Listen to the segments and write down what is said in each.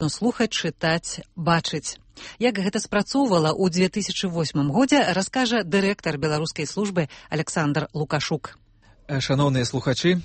можна слухаць, чытаць, бачыць. Як гэта спрацоўвала ў 2008 годзе, раскажа дырэктар беларускай службы Александр Лукашук. Шановныя слухачы,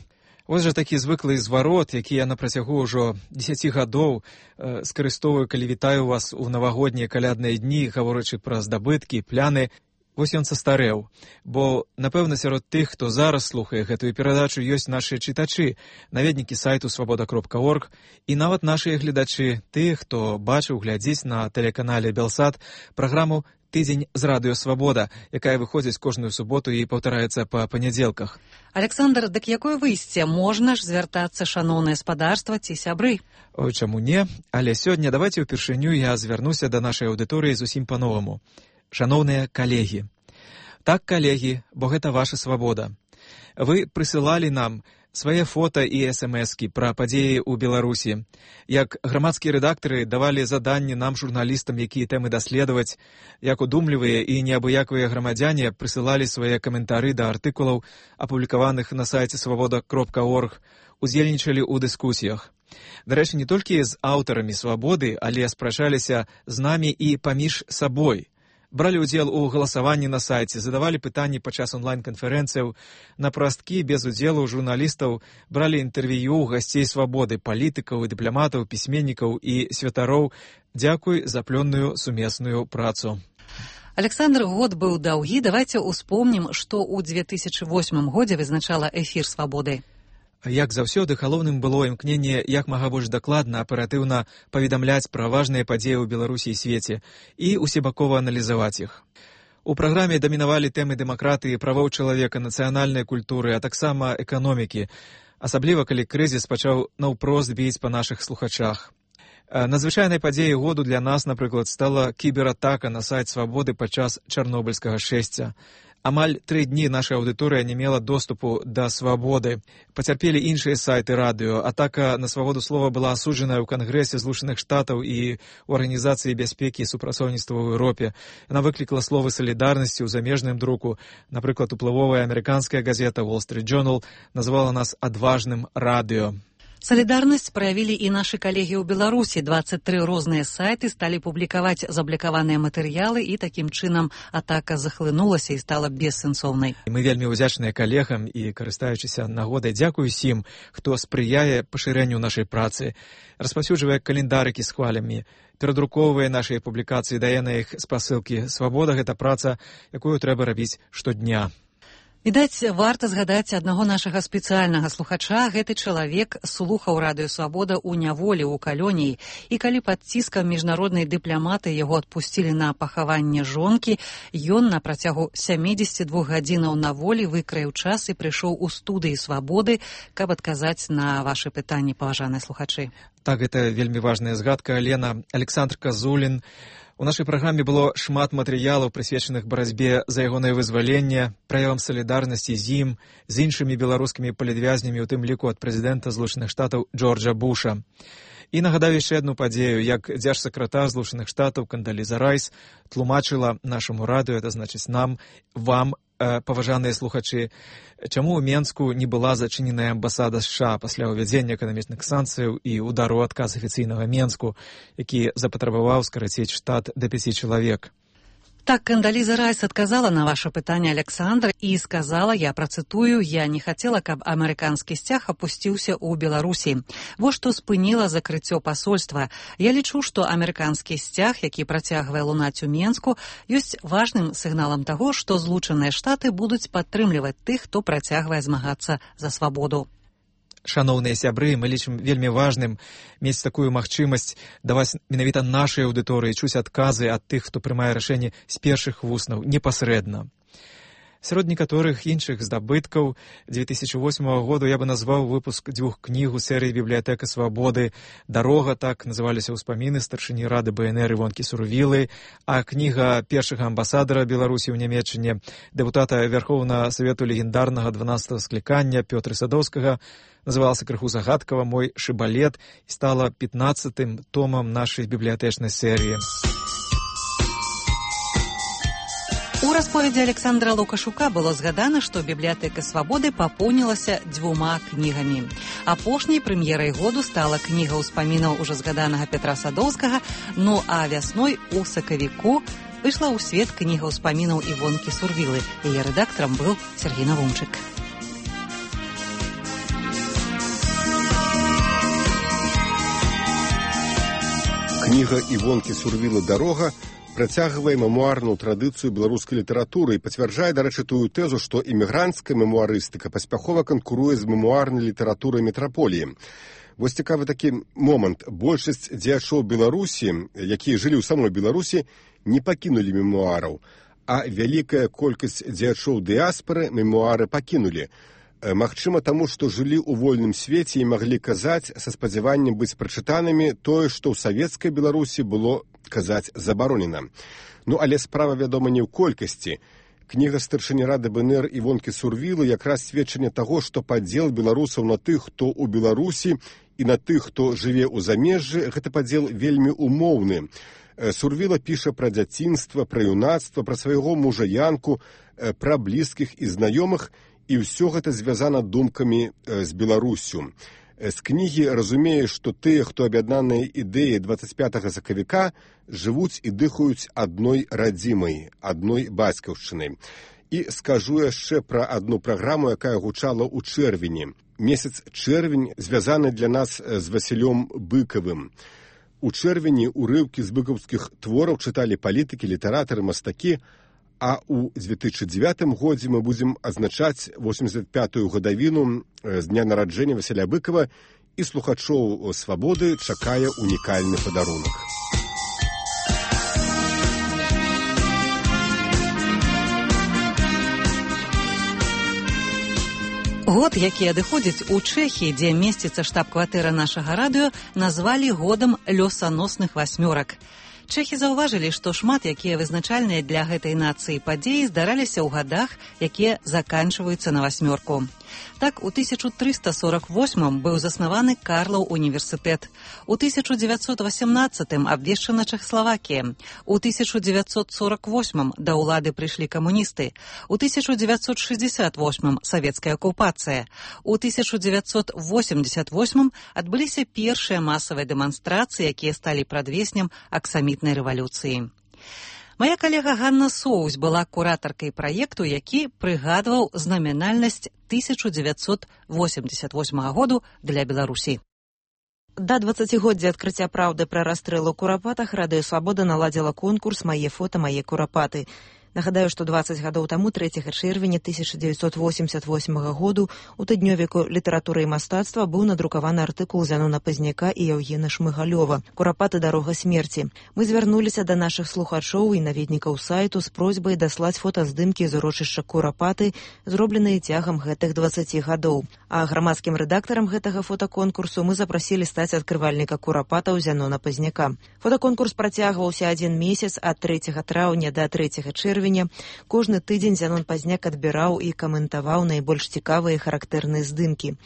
вось жа такі звыклы зварот, які я на працягу ўжо 10 гадоў скарыстоўваю, калі вітаю вас у навагоднія калядныя дні, гаворачы пра здабыткі, пляны. Вось ён састарэў, бо, напэўна, сярод тых, хто зараз слухае гэтую перадачу, ёсць нашыя чытачы, наведнікі сайту свабода.орг і нават нашыя гледачы, тыя, хто бачыў, глядзіць на тэлеканале Белсат праграму «Тыдзень з радыё Свабода», якая выходзіць кожную суботу і паўтараецца па панядзелках. Александр, дык якое выйсце? Можна ж звяртацца, шаноўнае спадарства ці сябры? Ой, чаму не? Але сёння давайце ўпершыню я звярнуся да нашай аўдыторыі зусім па-новаму. Шаноўныя калегі. Так, калегі, бо гэта ваша свабода. Вы прысылалі нам свае фота і смс-кі пра падзеі ў Беларусі. Як грамадскія рэдактары давалі заданні нам, журналістам, якія тэмы даследаваць, як удумлівыя і неабыякавыя грамадзяне прысылалі свае каментары да артыкулаў, апублікаваных на сайце свабода.орг, удзельнічалі ў дыскусіях. Дарэчы, не толькі з аўтарамі свабоды, але спрачаліся з намі і паміж сабой. Бралі ўдзел у галасаванні на сайце, задавалі пытанні падчас онлайн-канферэнцыяў, на прасткі без удзелу журналістаў бралі інтэрв'ю гасцей свабоды, палітыкаў і дыпламатаў, пісьменнікаў і святароў. Дзякуй за плённую сумесную працу. Александр, год быў даўгі. Давайце ўспомнім, што ў 2008 годзе вызначала эфір свабоды. Як заўсёды, галоўным было імкненне як мага больш дакладна, аператыўна паведамляць пра важныя падзеі ў Беларусі і свеце і усебакова аналізаваць іх. У праграме дамінавалі тэмы дэмакратыі, правоў чалавека, нацыянальнай культуры, а таксама эканомікі, асабліва калі крызіс пачаў наўпрост біць па нашых слухачах. Надзвычайнай падзеяй году для нас, напрыклад, стала кібератака на сайт свабоды падчас чарнобыльскага шэсця. Амаль 3 дні наша аўдыторыя не мела доступу да свабоды. Пацярпелі іншыя сайты радыё. Атака на свабоду слова была асуджаная ў Кангрэсе Злучаных Штатаў і ў Арганізацыі бяспекі і супрацоўніцтва ў Еўропе. Яна выклікала словы салідарнасці ў замежным друку. Напрыклад, уплывовая амерыканская газета Wall Street Journal назвала нас адважным радыё. Салідарнасць праявілі і нашы калегі ў Беларусі. 23 розныя сайты сталі публікаваць заблікаваныя матэрыялы, і такім чынам атака захлынулася і стала бессэнсоўнай. Мы вельмі ўдзячныя калегам і, карыстаючыся нагодай, дзякую усім, хто спрыяе пашырэнню нашай працы, распаўсюджвае календарыкі з хвалямі, перадрукоўвае нашыя публікацыі, дае на іх спасылкі. Свабода — гэта праца, якую трэба рабіць штодня. Відаць, варта згадаць аднаго нашага спецыяльнага слухача. Гэты чалавек слухаў радыё Свабода ў няволі ў калоніі, і калі пад ціскам міжнароднай дыпламаты яго адпусцілі на пахаванне жонкі, ён на працягу 72 гадзінаў на волі выкраіў час і прыйшоў у студыі Свабоды, каб адказаць на вашы пытанні, паважаныя слухачы. Так, гэта вельмі важная згадка. Алена, Александр Казулін. У нашай праграме было шмат матэрыялаў, прысвечаных барацьбе за ягонае вызваленне, праявам салідарнасці з ім, з іншымі беларускімі палітвязнямі, у тым ліку ад прэзідэнта Злучаных Штатаў Джорджа Буша. І нагадаю яшчэ адну падзею, як дзяржсакратар Злучаных Штатаў Кандаліза Райс тлумачыла нашаму радыё, это значыць нам, вам, паважаныя слухачы, чаму ў Менску не была зачыненая амбасада США пасля ўвядзення эканамічных санкцыяў і удару ў адказ афіцыйнага Менску, які запатрабаваў скараціць штат да 5 чалавек. Так, Кандаліза Райс адказала на ваше пытанне, Александр, і сказала, я працытую, я не хацела, каб амерыканскі сцяг апусціўся ў Беларусі. Вось што спыніла закрыццё пасольства. Я лічу, што амерыканскі сцяг, які працягвае лунаць у Менску, ёсць важным сігналам таго, што Злучаныя Штаты будуць падтрымліваць тых, хто працягвае змагацца за свабоду. Шаноўныя сябры, мы лічым вельмі важным мець такую магчымасць даваць менавіта нашай аўдыторыі, чуць адказы ад тых, хто прымае рашэнне з першых вуснаў, непасрэдна. Сярод некаторых іншых здабыткаў 2008 году я бы назваў выпуск 2 кніг у серыі «Бібліятэка свабоды». «Дарога», так называліся ўспаміны старшыні рады БНР Івонкі Сурвілы, а кніга першага амбасадара Беларусі ў Нямецчыне, дэпутата Верхоўнага Савету легендарнага 12-го склікання Пётра Садоўскага, называлася крыху загадкава «Мой шыбалет» і стала 15-м томам нашай бібліятэчнай серыі. У расповедзі Александра Лукашука было згадана, што бібліятэка свабоды папоўнілася 2 кнігамі. Апошняй прэм'ерай году стала кніга ўспамінаў ужо згаданага Петра Садоўскага, ну а вясной у сакавіку выйшла ў свет кніга ўспамінаў Івонкі Сурвілы. Яе рэдактарам быў Сергей Навумчык. Кніга Івонкі Сурвілы «Дарога» працягвае мемуарную традыцыю беларускай літаратуры і пацвярджае, дарэчы, тую тэзу, што імігранцкая мемуарыстыка паспяхова канкуруе з мемуарнай літаратурай метраполіі. Вось цікавы такі момант. Большасць дзеячоў Беларусі, якія жылі ў самой Беларусі, не пакінулі мемуараў, а вялікая колькасць дзеячоў дыяспары мемуары пакінулі. Магчыма, таму, што жылі ў вольным свеце і маглі казаць са спадзяваннем быць прачытанымі тое, што ў савецкай Беларусі было казаць забаронена. Ну, але справа, вядома, не ў колькасці. Кніга старшыні рады БНР Івонкі Сурвілы якраз сведчанне таго, што падзел беларусаў на тых, хто ў Беларусі, і на тых, хто жыве ў замежжы, гэта падзел вельмі умоўны. Сурвіла піша пра дзяцінства, пра юнацтва, пра свайго мужа Янку, пра блізкіх і знаёмых, і ўсё гэта звязана думкамі з Беларусю. З кнігі разумее, што тыя, хто аб'яднаныя ідэяй 25 сакавіка, жывуць і дыхаюць адной радзімай, адной бацькаўшчынай. І скажу яшчэ пра адну праграму, якая гучала ў чэрвені. Месяц чэрвень звязаны для нас з Васілём Быкавым. У чэрвені урыўкі з быкаўскіх твораў чыталі палітыкі, літаратары, мастакі, а ў 2009 годзе мы будзем адзначаць 85-ю гадавіну з дня нараджэння Васіля Быкава, і слухачоў «Свабоды» чакае унікальны падарунак. Год, які адыходзіць у Чэхіі, дзе месціцца штаб-кватэра нашага радыё, назвалі годам лёсаносных васьмёрак. Чэхі заўважылі, што шмат якія вызначальныя для гэтай нацыі падзеі здараліся ў гадах, якія заканчваюцца на васьмёрку. Так, у 1348 быў заснаваны Карлаў універсітэт. У 1918 абвешчана Чэхаславакія. У 1948 да ўлады прыйшлі камуністы. У 1968 савецкая акупацыя. У 1988 адбыліся першыя масавыя дэманстрацыі, якія сталі прадвеснем аксамітнай рэвалюцыі. Мая калега Ганна Соўсь была куратаркай праекту, які прыгадваў знамінальнасць 1988 году для Беларусі. Да 20годдзя адкрыцця праўды пра расстрэл у Курапатах Радыё Свабода наладзіла конкурс «Мае фота, мае курапаты». Нагадаю, што 20 гадоў таму, 3 чэрвеня 1988 году, у тыднёвіку літаратуры і мастацтва быў надрукаваны артыкул Зянона Пазняка і Яўгена Шмыгалёва «Курапаты. Дарога смерці». Мы звярнуліся да нашых слухачоў і наведнікаў сайту з просьбай даслаць фотаздымкі з урочышча Курапаты, зробленыя цягам гэтых 20 гадоў. А грамадскім рэдактарам гэтага фотаконкурсу мы запрасілі стаць адкрывальніка курапатаў Зянона Пазняка. Фотаконкурс працягваўся 1 месяц ад 3 траўня да 3 чэрвеня. Кожны тыдзень Зянон Пазняк адбіраў і каментаваў найбольш цікавыя і характэрныя здымкі.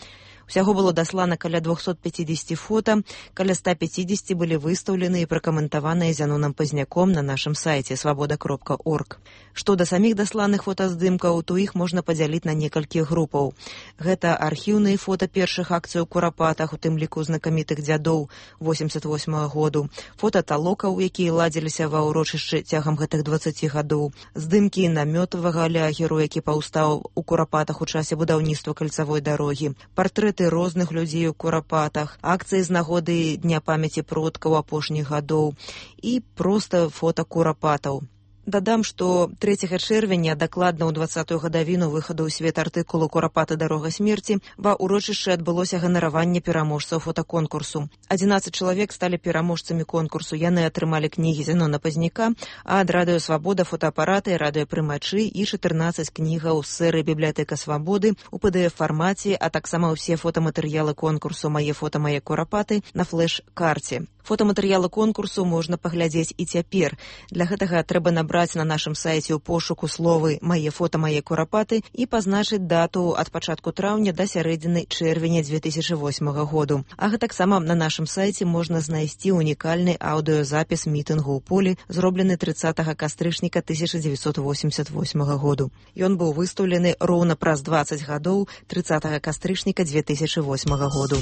Усяго было даслана каля 250 фота, каля 150 былі выстаўлены і пракаментаваныя Зяноном Пазняком на нашым сайце свабода.орг. Што да саміх дасланых фотаздымкаў, то іх можна падзяліць на некалькі групаў. Гэта архіўныя фота першых акцый у Курапатах, у тым ліку знакамітых дзядоў 88 году, фота талокаў, якія ладзіліся ва ўрочышчы цягам гэтых 20 гадоў, здымкі намётавага лагеру, які паўстаў у Курапатах у часе будаўніцтва кальцавой дарогі, партрэт розных людзей у Курапатах, акцыі з нагоды Дня памяці продкаў апошніх гадоў і проста фота Курапатаў. Дадам, што 3 чэрвеня, дакладна ў 20-ю гадавіну выхаду ў свет артыкулу «Курапаты. Дарога смерці», ва ўрочышчы адбылося ганараванне пераможцаў фотаконкурсу. 11 чалавек сталі пераможцамі конкурсу. Яны атрымалі кнігі Зянона Пазняка, а ад Радыё Свабода фотаапараты, радыёпрымачы і 14 кнігаў з серыі «Бібліятэка Свабоды» у PDF-фармаце, а таксама ўсе фотаматэрыялы конкурсу «Мае фота, мае курапаты» на флеш-карце. Фотаматэрыялы конкурсу можна паглядзець і цяпер. Для гэтага трэба набраць набраць на нашым сайце ў пошуку словы «Мае фота, мае курапаты» і пазначыць дату ад пачатку траўня да сярэдзіны чэрвеня 2008 году. А гэтаксама на нашым сайце можна знайсці унікальны аўдыёзапіс мітынгу ў полі, зроблены 30 кастрычніка 1988 году. Ён быў выстаўлены роўна праз 20 гадоў 30 кастрычніка 2008 году.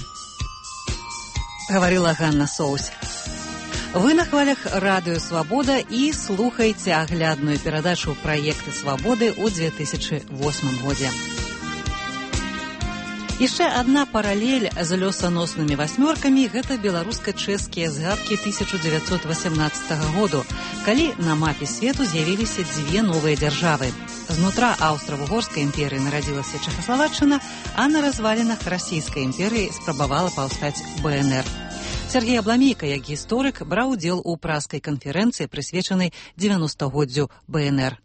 Гаварыла Ганна Соусь. Вы на хвалях радыё «Свабода» і слухаеце аглядную перадачу «Праекты свабоды» ў 2008 годзе. Яшчэ адна паралель з лёсаноснымі васьмёркамі – гэта беларуска-чэшскія згадкі 1918 году, калі на мапе свету з'явіліся дзве новыя дзяржавы. Знутра Аўстра-Вугорскай імперыі нарадзілася Чэхаславаччына, а на развалінах Расійскай імперыі спрабавала паўстаць БНР. Сергей Абламейка, як гісторык, браў удзел у празскай канферэнцыі, прысвечанай 90-годдзю БНР.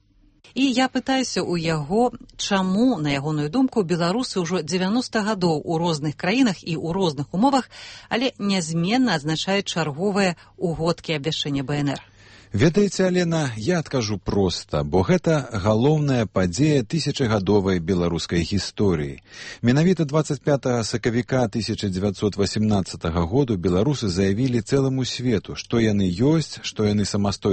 І я пытаюся ў яго, чаму, на ягоную думку, беларусы ўжо 90 гадоў у розных краінах і ў розных умовах, але нязменна адзначаюць чарговыя угодкі абвяшчэння БНР. Ведаеце, Алена, я адкажу проста, бо гэта галоўная падзея тысячагадовай беларускай гісторыі. Менавіта 25 сакавіка 1918 году беларусы заявілі цэламу свету, што яны ёсць, што яны самастойна